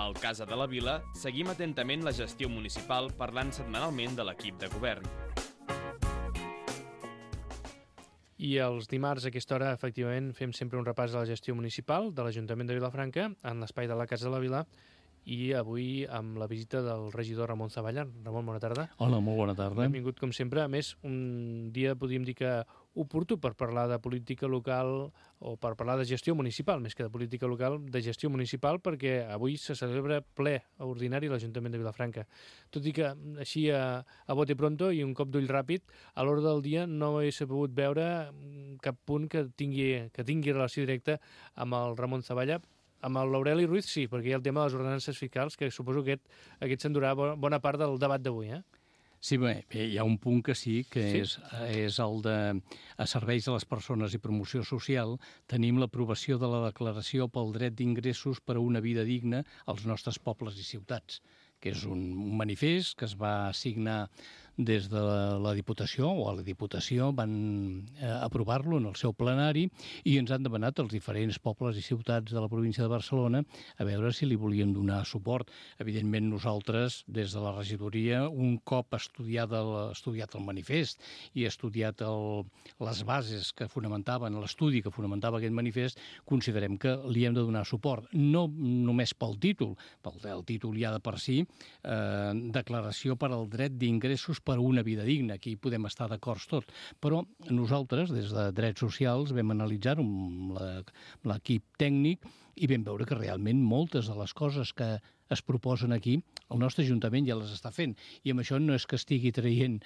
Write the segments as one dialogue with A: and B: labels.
A: Al Casa de la Vila seguim atentament la gestió municipal parlant setmanalment de l'equip de govern.
B: I els dimarts a aquesta hora, efectivament, fem sempre un repàs de la gestió municipal de l'Ajuntament de Vilafranca en l'espai de la Casa de la Vila i avui amb la visita del regidor Ramon Zavalla. Ramon, bona tarda.
C: Hola, molt bona tarda.
B: Benvingut, com sempre. A més, un dia, podríem dir que oportú per parlar de política local o per parlar de gestió municipal, més que de política local, de gestió municipal, perquè avui se celebra ple ordinari a l'Ajuntament de Vilafranca. Tot i que així a bote pronto i un cop d'ull ràpid, a l'hora del dia no he sabut veure cap punt que tingui relació directa amb el Ramon Zavalla. Amb l'Aureli Ruiz sí, perquè hi ha el tema de les ordenances fiscals, que suposo que aquest s'endurà bona part del debat d'avui,
C: Sí, bé, hi ha un punt que sí, que sí? És el de a serveis de les persones i promoció social. Tenim l'aprovació de la declaració pel dret d'ingressos per a una vida digna als nostres pobles i ciutats, que és un manifest que es va signar des de la Diputació, o a la Diputació van aprovar-lo en el seu plenari i ens han demanat els diferents pobles i ciutats de la província de Barcelona a veure si li volíem donar suport. Evidentment nosaltres, des de la regidoria, un cop estudiat el manifest i estudiat les bases que fonamentaven, l'estudi que fonamentava aquest manifest, considerem que li hem de donar suport. No només pel títol, el títol ja de per si, declaració per al dret d'ingressos per a una vida digna. Aquí podem estar d'acord tots. Però nosaltres, des de Drets Socials, vam analitzar-ho amb l'equip tècnic i vam veure que realment moltes de les coses que es proposen aquí, el nostre Ajuntament ja les està fent. I amb això no és que estigui traient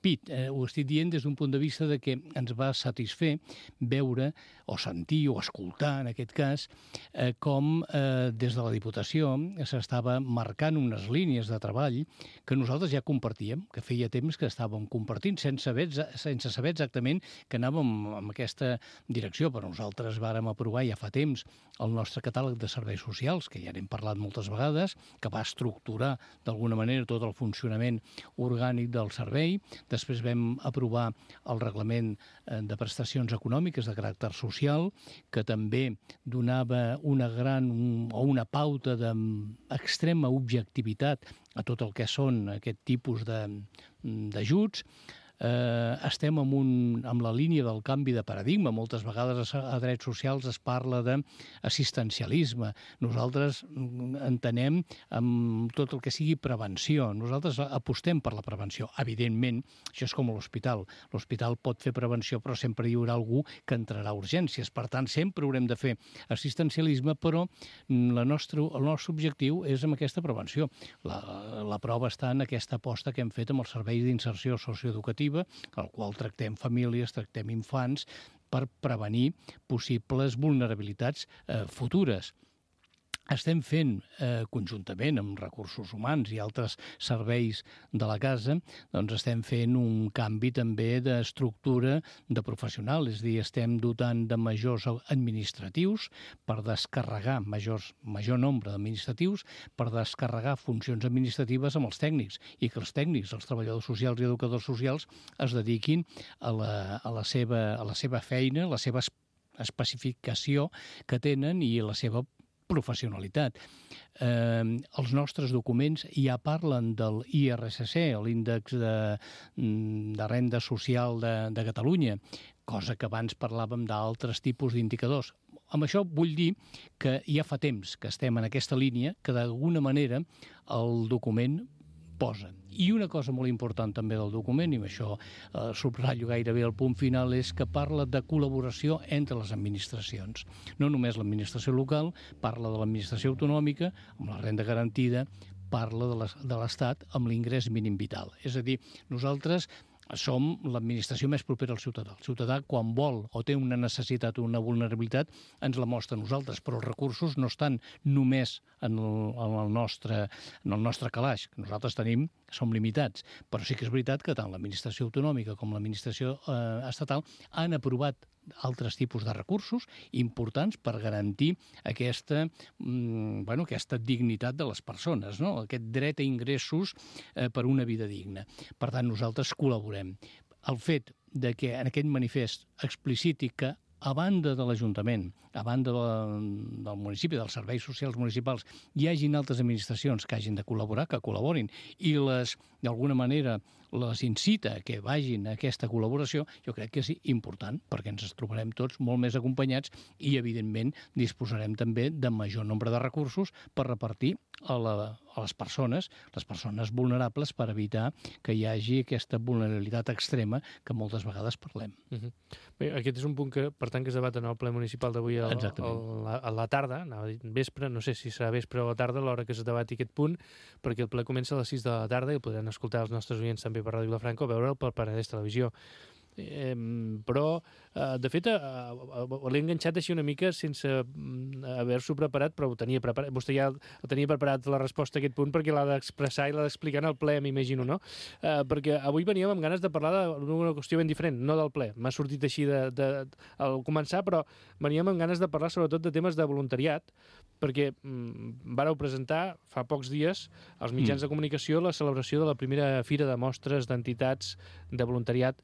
C: pit, ho estic dient des d'un punt de vista de que ens va satisfer veure, o sentir, o escoltar, en aquest cas, com des de la Diputació s'estava marcant unes línies de treball que nosaltres ja compartíem, que feia temps que estàvem compartint, sense saber exactament que anàvem en aquesta direcció. Però nosaltres vàrem aprovar ja fa temps el nostre catàleg de serveis socials, que ja n'hem parlat moltes vegades, que va estructurar d'alguna manera tot el funcionament orgànic del servei. Després vam aprovar el reglament de prestacions econòmiques de caràcter social, que també donava una pauta d'extrema objectivitat a tot el que són aquest tipus d'ajuts. Estem amb la línia del canvi de paradigma. Moltes vegades a drets socials es parla d'assistencialisme. Nosaltres entenem amb tot el que sigui prevenció. Nosaltres apostem per la prevenció. Evidentment, això és com l'hospital. L'hospital pot fer prevenció, però sempre hi haurà algú que entrarà a urgències. Per tant, sempre haurem de fer assistencialisme, però el nostre objectiu és amb aquesta prevenció. La prova està en aquesta aposta que hem fet amb els serveis d'inserció socioeducativa, al qual tractem famílies, tractem infants, per prevenir possibles vulnerabilitats futures. Estem fent conjuntament amb recursos humans i altres serveis de la casa, doncs estem fent un canvi també d'estructura de professional, és a dir, estem dotant de majors administratius per descarregar major nombre d'administratius per descarregar funcions administratives amb els tècnics i que els tècnics, els treballadors socials i educadors socials es dediquin a la seva feina, a la seva especificació que tenen i a la seva professionalitat. Els nostres documents ja parlen del IRSC, l'índex de renda social de Catalunya, cosa que abans parlàvem d'altres tipus d'indicadors. Amb això vull dir que ja fa temps que estem en aquesta línia, que d'alguna manera el document posa. I una cosa molt important també del document, i amb això subratllo gairebé el punt final, és que parla de col·laboració entre les administracions. No només l'administració local, parla de l'administració autonòmica, amb la renda garantida, parla de l'Estat amb l'ingrés mínim vital. És a dir, nosaltres som l'administració més propera al ciutadà. El ciutadà, quan vol o té una necessitat o una vulnerabilitat, ens la mostra a nosaltres, però els recursos no estan només en el nostre calaix, que nosaltres som limitats. Però sí que és veritat que tant l'administració autonòmica com l'administració estatal han aprovat altres tipus de recursos importants per garantir aquesta dignitat de les persones, no? Aquest dret a ingressos per una vida digna. Per tant, nosaltres col·laborem. El fet de que en aquest manifest expliciti que a banda de l'Ajuntament, a banda del municipi, dels serveis socials municipals, hi hagin altres administracions que hagin de col·laborar, que col·laborin, i d'alguna manera, les incita a que vagin a aquesta col·laboració, jo crec que és important, perquè ens trobarem tots molt més acompanyats i, evidentment, disposarem també de major nombre de recursos per repartir a les persones vulnerables, per evitar que hi hagi aquesta vulnerabilitat extrema que moltes vegades parlem.
B: Bé, aquest és un punt que, per tant, que es debat en el ple municipal d'avui a la tarda, anava a dir vespre, no sé si serà vespre o a la tarda, a l'hora que es debati aquest punt, perquè el ple comença a les 6 de la tarda i podran escoltar els nostres oients també per Ràdio Vilafranca o veure'l per Penedès Televisió. Però, de fet, l'he enganxat així una mica sense haver-s'ho preparat, però ho tenia preparat. Vostè ja tenia preparat la resposta a aquest punt perquè l'ha d'expressar i l'ha d'explicar en el ple, m'imagino, no? Perquè avui veníem amb ganes de parlar d'una qüestió ben diferent, no del ple. M'ha sortit així al començar, però veníem amb ganes de parlar sobretot de temes de voluntariat, perquè vàreu presentar fa pocs dies als mitjans de comunicació la celebració de la primera fira de mostres d'entitats de voluntariat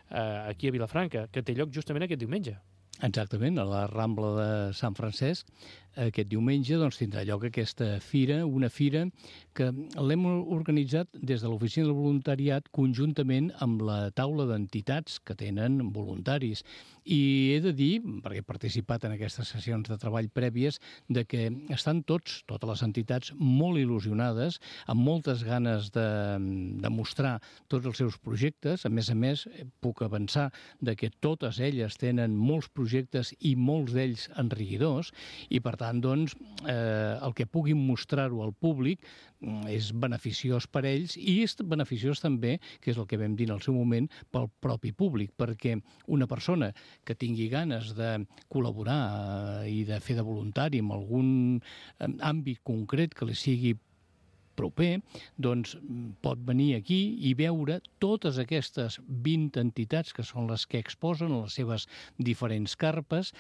B: aquí a Vilafranca, que té lloc justament aquest diumenge.
C: Exactament, a la Rambla de Sant Francesc. Aquest diumenge tindrà lloc aquesta fira, una fira que l'hem organitzat des de l'Oficina del Voluntariat conjuntament amb la taula d'entitats que tenen voluntaris. I he de dir, perquè he participat en aquestes sessions de treball prèvies, de que estan totes les entitats molt il·lusionades, amb moltes ganes de mostrar tots els seus projectes. A més, puc avançar de que totes elles tenen molts projectes i molts d'ells enriquidors, i per tant, el que puguin mostrar-ho al públic és beneficiós per ells i és beneficiós també, que és el que vam dir en el seu moment, pel propi públic, perquè una persona que tingui ganes de col·laborar i de fer de voluntari en algun àmbit concret que li sigui proper, pot venir aquí i veure totes aquestes 20 entitats que són les que exposen les seves diferents carpes,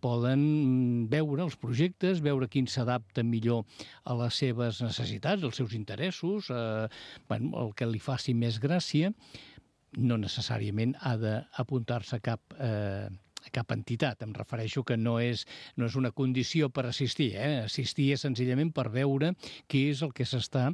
C: poden veure els projectes, veure quin s'adapta millor a les seves necessitats, als seus interessos, el que li faci més gràcia. No necessàriament ha d'apuntar-se a cap entitat. Em refereixo que no és una condició per assistir. Assistir és senzillament per veure què és el que s'està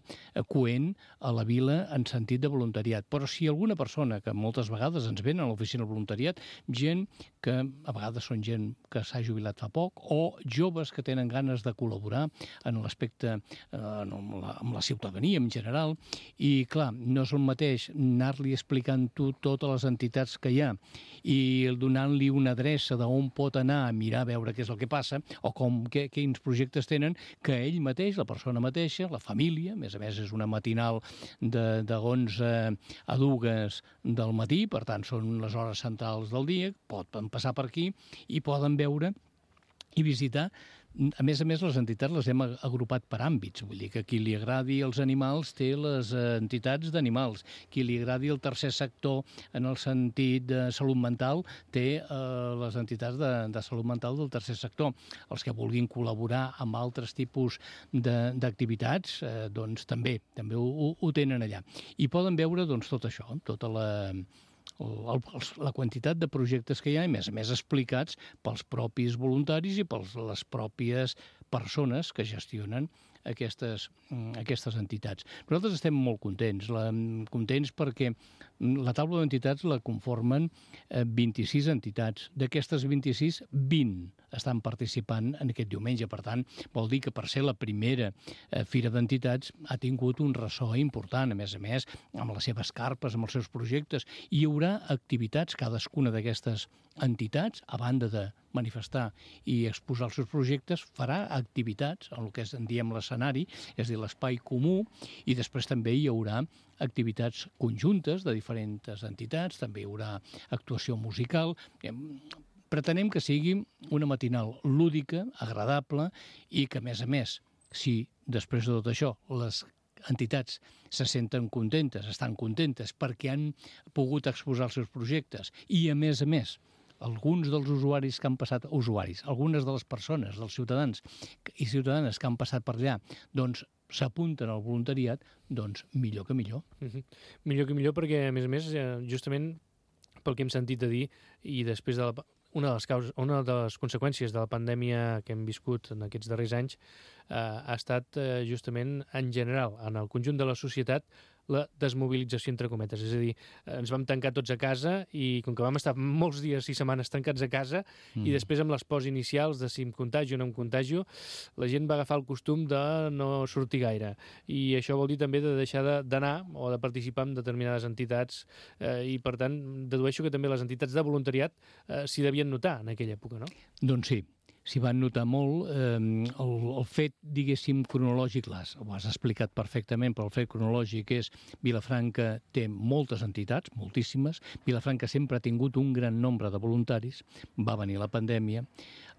C: coent a la vila en sentit de voluntariat. Però si alguna persona, que moltes vegades ens ven a l'oficina del voluntariat, gent que a vegades són gent que s'ha jubilat fa poc, o joves que tenen ganes de col·laborar en l'aspecte amb la ciutadania en general, i clar, no és el mateix anar-li explicant totes les entitats que hi ha i donant-li una adreça d'on pot anar a mirar a veure què és el que passa o quins projectes tenen, que ell mateix, la persona mateixa, la família, a més és una matinal de 11 a 2 del matí, per tant són les hores centrals del dia, poden passar per aquí i poden veure i visitar. A més, les entitats les hem agrupat per àmbits. Vull dir que qui li agradi els animals té les entitats d'animals. Qui li agradi el tercer sector en el sentit de salut mental té les entitats de salut mental del tercer sector. Els que vulguin col·laborar amb altres tipus d'activitats, també ho tenen allà. I poden veure tot això, tota la quantitat de projectes que hi ha, i a més explicats pels propis voluntaris i per les pròpies persones que gestionen aquestes entitats. Nosaltres estem molt contents perquè la taula d'entitats la conformen 26 entitats. D'aquestes 26, 20 estan participant en aquest diumenge. Per tant, vol dir que per ser la primera fira d'entitats ha tingut un ressò important, a més, amb les seves carpes, amb els seus projectes. I hi haurà activitats, cadascuna d'aquestes entitats, a banda de manifestar i exposar els seus projectes, farà activitats en el que en diem l'escenari, és a dir, l'espai comú, i després també hi haurà activitats conjuntes de diferents entitats, també hi haurà actuació musical. Pretenem que sigui una matinal lúdica, agradable, i que, a més, si després de tot això les entitats se senten contentes, estan contentes perquè han pogut exposar els seus projectes i, a més, alguns dels usuaris que han passat, algunes de les persones, dels ciutadans i ciutadanes que han passat per allà, s'apunten al voluntariat, millor que millor.
B: Millor que millor perquè, a més, justament pel que hem sentit a dir, i després de una de les conseqüències de la pandèmia que hem viscut en aquests darrers anys ha estat justament en general, en el conjunt de la societat, la desmobilització entre cometes. És a dir, ens vam tancar tots a casa i com que vam estar molts dies i setmanes tancats a casa i després amb les pors inicials de si em contagio o no em contagio, la gent va agafar el costum de no sortir gaire. I això vol dir també de deixar d'anar o de participar en determinades entitats i, per tant, dedueixo que també les entitats de voluntariat s'hi devien notar en aquella època, no?
C: Doncs sí, s'hi van notar molt. El fet, diguéssim, cronològic, ho has explicat perfectament, però el fet cronològic és Vilafranca té moltes entitats, moltíssimes. Vilafranca sempre ha tingut un gran nombre de voluntaris. Va venir la pandèmia.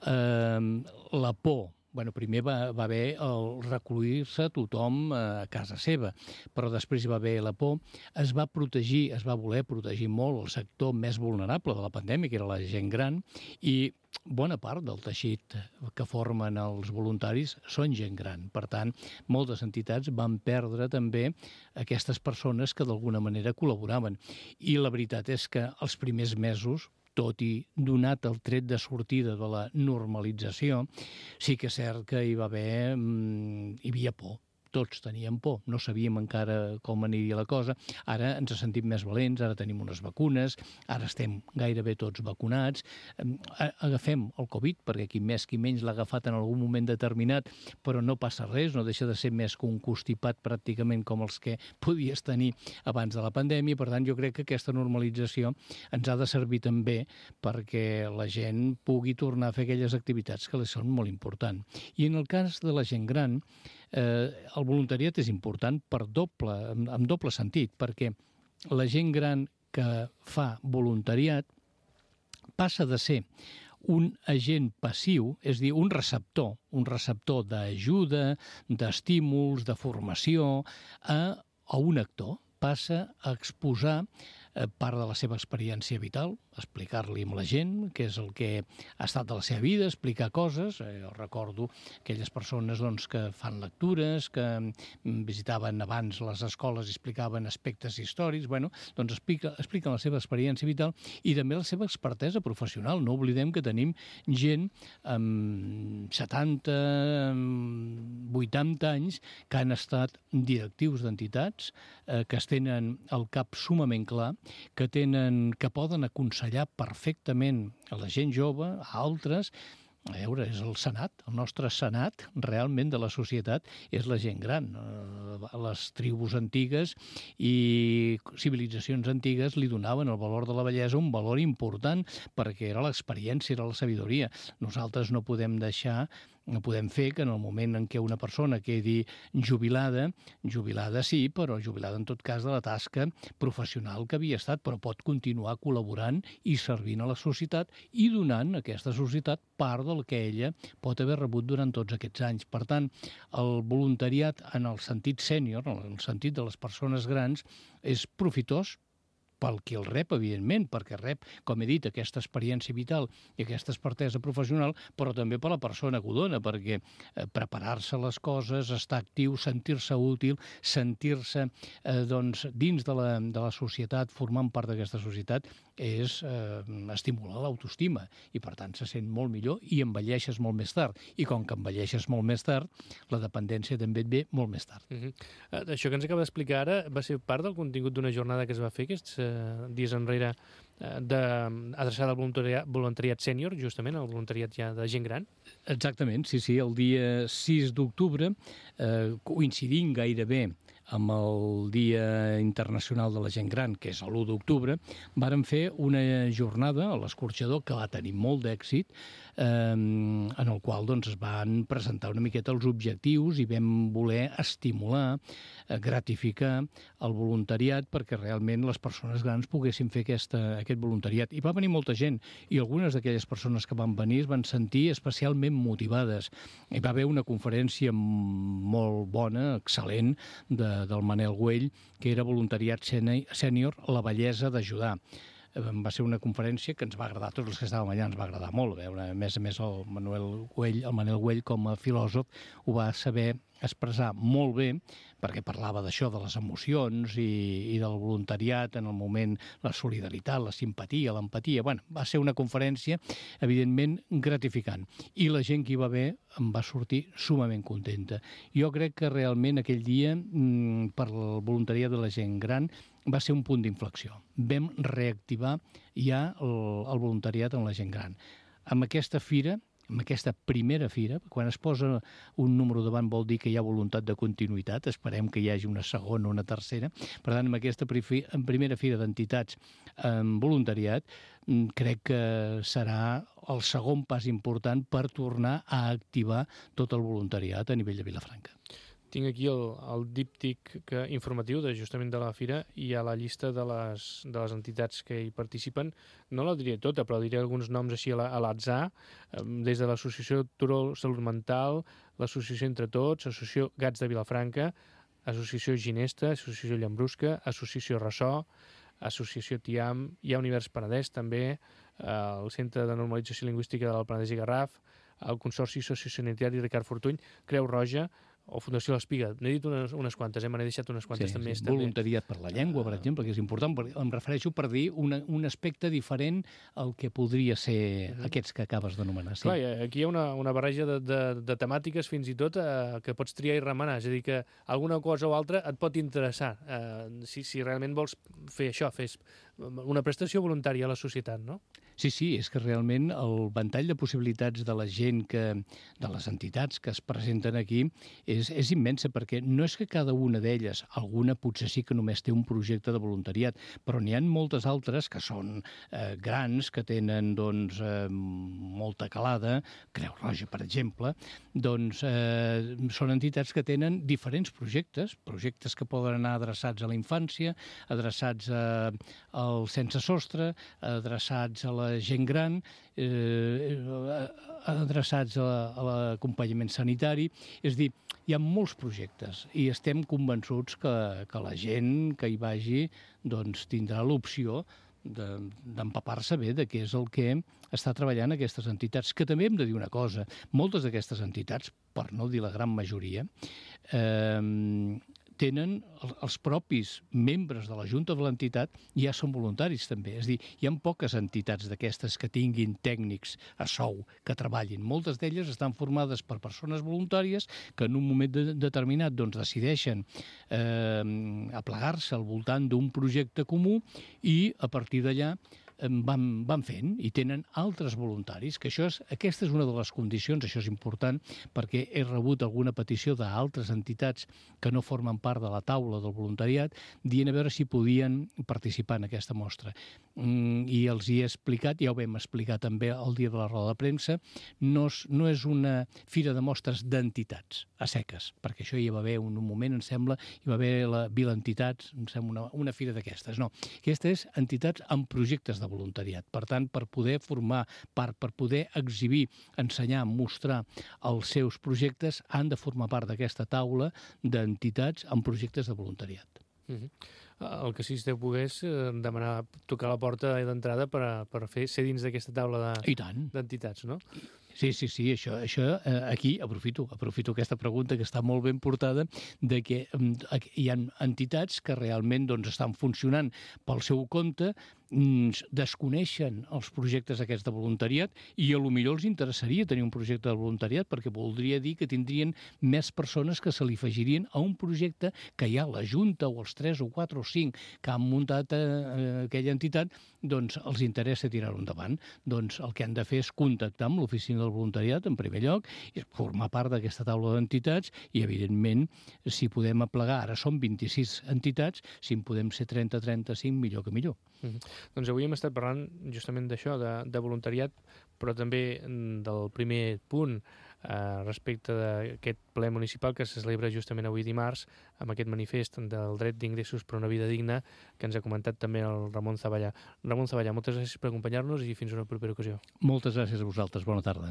C: La por, primer va haver el recollir-se tothom a casa seva, però després hi va haver la por. Es va voler protegir molt el sector més vulnerable de la pandèmia, que era la gent gran, i bona part del teixit que formen els voluntaris són gent gran. Per tant, moltes entitats van perdre també aquestes persones que d'alguna manera col·laboraven. I la veritat és que els primers mesos, tot i donat el tret de sortida de la normalització, sí que és cert que hi havia por. Tots teníem por, no sabíem encara com aniria la cosa. Ara ens sentim més valents, ara tenim unes vacunes, ara estem gairebé tots vacunats. Agafem el Covid, perquè qui més qui menys l'ha agafat en algun moment determinat, però no passa res, no deixa de ser més que un constipat pràcticament com els que podies tenir abans de la pandèmia. Per tant, jo crec que aquesta normalització ens ha de servir també perquè la gent pugui tornar a fer aquelles activitats que li són molt importants. I en el cas de la gent gran, el voluntariat és important amb doble sentit, perquè la gent gran que fa voluntariat passa de ser un agent passiu, és a dir, un receptor d'ajuda, d'estímuls, de formació, a un actor. Passa a exposar part de la seva experiència vital, explicar-li amb la gent què és el que ha estat de la seva vida, explicar coses. Jo recordo aquelles persones que fan lectures, que visitaven abans les escoles i explicaven aspectes històrics, expliquen la seva experiència vital i també la seva expertesa professional. No oblidem que tenim gent amb 70, 80 anys que han estat directius d'entitats, que es tenen el cap sumament clar, que poden aconsellar perfectament a la gent jove, a altres. A veure, és el Senat, el nostre Senat realment de la societat és la gent gran. Les tribus antigues i civilitzacions antigues li donaven el valor de la vellesa un valor important perquè era l'experiència, era la sabidoria. Nosaltres no podem fer que en el moment en què una persona quedi jubilada sí, però jubilada en tot cas de la tasca professional que havia estat, però pot continuar col·laborant i servint a la societat i donant a aquesta societat part del que ella pot haver rebut durant tots aquests anys. Per tant, el voluntariat en el sentit sènior, en el sentit de les persones grans, és profitós pel qui el rep, evidentment, perquè rep, com he dit, aquesta experiència vital i aquesta expertesa professional, però també per la persona que ho dona, perquè preparar-se les coses, estar actiu, sentir-se útil, sentir-se dins de la societat, formant part d'aquesta societat, és estimular l'autoestima i, per tant, se sent molt millor i envelleixes molt més tard. I com que envelleixes molt més tard, la dependència també et ve molt més tard.
B: Això que ens acaba d'explicar ara va ser part del contingut d'una jornada que es va fer aquests dies enrere adreçada al voluntariat sènior, justament, al voluntariat ja de gent gran?
C: Exactament, sí, el dia 6 d'octubre, coincidint gairebé amb el Dia Internacional de la Gent Gran, que és l'1 d'octubre, vàrem fer una jornada a l'Escorxador que va tenir molt d'èxit, en el qual es van presentar una miqueta els objectius i vam voler estimular, gratificar el voluntariat perquè realment les persones grans poguessin fer aquest voluntariat. I va venir molta gent i algunes d'aquelles persones que van venir es van sentir especialment motivades. Hi va haver una conferència molt bona, excel·lent, del Manel Güell, que era voluntariat sènior, la bellesa d'ajudar. va ser una conferència que ens va agradar, tots els que estàvem allà ens va agradar molt. A més el Manel Güell com a filòsof ho va saber expressar molt bé, perquè parlava d'això, de les emocions i del voluntariat en el moment, la solidaritat, la simpatia, l'empatia. Bueno, va ser una conferència, evidentment, gratificant. I la gent que hi va haver em va sortir sumament contenta. Jo crec que realment aquell dia, per el voluntariat de la gent gran, va ser un punt d'inflexió. Vam reactivar ja el voluntariat en la gent gran. Amb aquesta fira, amb aquesta primera fira, quan es posa un número davant vol dir que hi ha voluntat de continuïtat, esperem que hi hagi una segona o una tercera. Per tant, amb aquesta primera fira d'entitats en voluntariat, crec que serà el segon pas important per tornar a activar tot el voluntariat a nivell de Vilafranca.
B: Tinc aquí el díptic informatiu justament de la fira i a la llista de les entitats que hi participen. No la diré tota, però diré alguns noms així a l'atzar, des de l'Associació Turó Salut Mental, l'Associació Entre Tots, l'Associació Gats de Vilafranca, Associació Ginesta, Associació Llambrusca, Associació Ressò, Associació TIAM, hi ha Univers Penedès també, el Centre de Normalització Lingüística del Penedès i Garraf, el Consorci Sociosanitari Ricard Fortuny, Creu Roja, o Fundació L'Espiga. N'he dit unes quantes, me n'he deixat unes quantes també.
C: Sí. Voluntariat per la llengua, per exemple, que és important, em refereixo per dir un aspecte diferent al que podria ser aquests que acabes d'anomenar. Sí.
B: Clar, aquí hi ha una barreja de temàtiques fins i tot que pots triar i remenar, és a dir, que alguna cosa o altra et pot interessar, si realment vols fer això, fes una prestació voluntària a la societat, no?
C: Sí, és que realment el ventall de possibilitats de la gent, de les entitats que es presenten aquí és immensa, perquè no és que cada una d'elles, alguna potser sí que només té un projecte de voluntariat, però n'hi ha moltes altres que són grans, que tenen molta calada, Creu Roja, per exemple, són entitats que tenen diferents projectes que poden anar adreçats a la infància, adreçats al sense sostre, adreçats a la gent gran, adreçats a l'acompanyament sanitari. És a dir, hi ha molts projectes i estem convençuts que la gent que hi vagi tindrà l'opció d'empapar-se bé de què és el que està treballant aquestes entitats. Que també hem de dir una cosa, moltes d'aquestes entitats, per no dir la gran majoria, tenen els propis membres de la Junta de l'entitat ja són voluntaris també. És a dir, hi ha poques entitats d'aquestes que tinguin tècnics a sou que treballin. Moltes d'elles estan formades per persones voluntàries que en un moment determinat decideixen aplegar-se al voltant d'un projecte comú i a partir d'allà van fent i tenen altres voluntaris, que aquesta és una de les condicions, això és important, perquè he rebut alguna petició d'altres entitats que no formen part de la taula del voluntariat, dient a veure si podien participar en aquesta mostra. I els hi he explicat, ja ho vam explicar també el dia de la roda de premsa, no és una fira de mostres d'entitats a seques, perquè això hi va haver un moment, em sembla, hi va haver la Vila Entitats, em sembla una fira d'aquestes. No, aquesta és entitats amb projectes de voluntariat. Per tant, per poder formar part, per poder exhibir, ensenyar, mostrar els seus projectes, han de formar part d'aquesta taula d'entitats amb projectes de voluntariat.
B: El que sí, si pogués demanar tocar la porta d'entrada per ser dins d'aquesta taula d'entitats, no?
C: Sí, això aquí aprofito aquesta pregunta que està molt ben portada, de que hi ha entitats que realment estan funcionant pel seu compte, desconeixen els projectes aquests de voluntariat i a lo millor els interessaria tenir un projecte de voluntariat perquè voldria dir que tindrien més persones que se li afegirien a un projecte que ja la Junta o els 3 o 4 o 5 que han muntat aquella entitat els interessa tirar-ho endavant. El que han de fer és contactar amb l'oficina del voluntariat en primer lloc i formar part d'aquesta taula d'entitats i evidentment si podem aplegar, ara són 26 entitats, si en podem ser 30-35 millor que millor.
B: Doncs avui hem estat parlant justament d'això, de voluntariat, però també del primer punt respecte d'aquest ple municipal que se celebra justament avui dimarts amb aquest manifest del dret d'ingressos per una vida digna que ens ha comentat també el Ramon Zavallà. Ramon Zavallà, moltes gràcies per acompanyar-nos i fins una propera ocasió.
C: Moltes gràcies a vosaltres, bona tarda.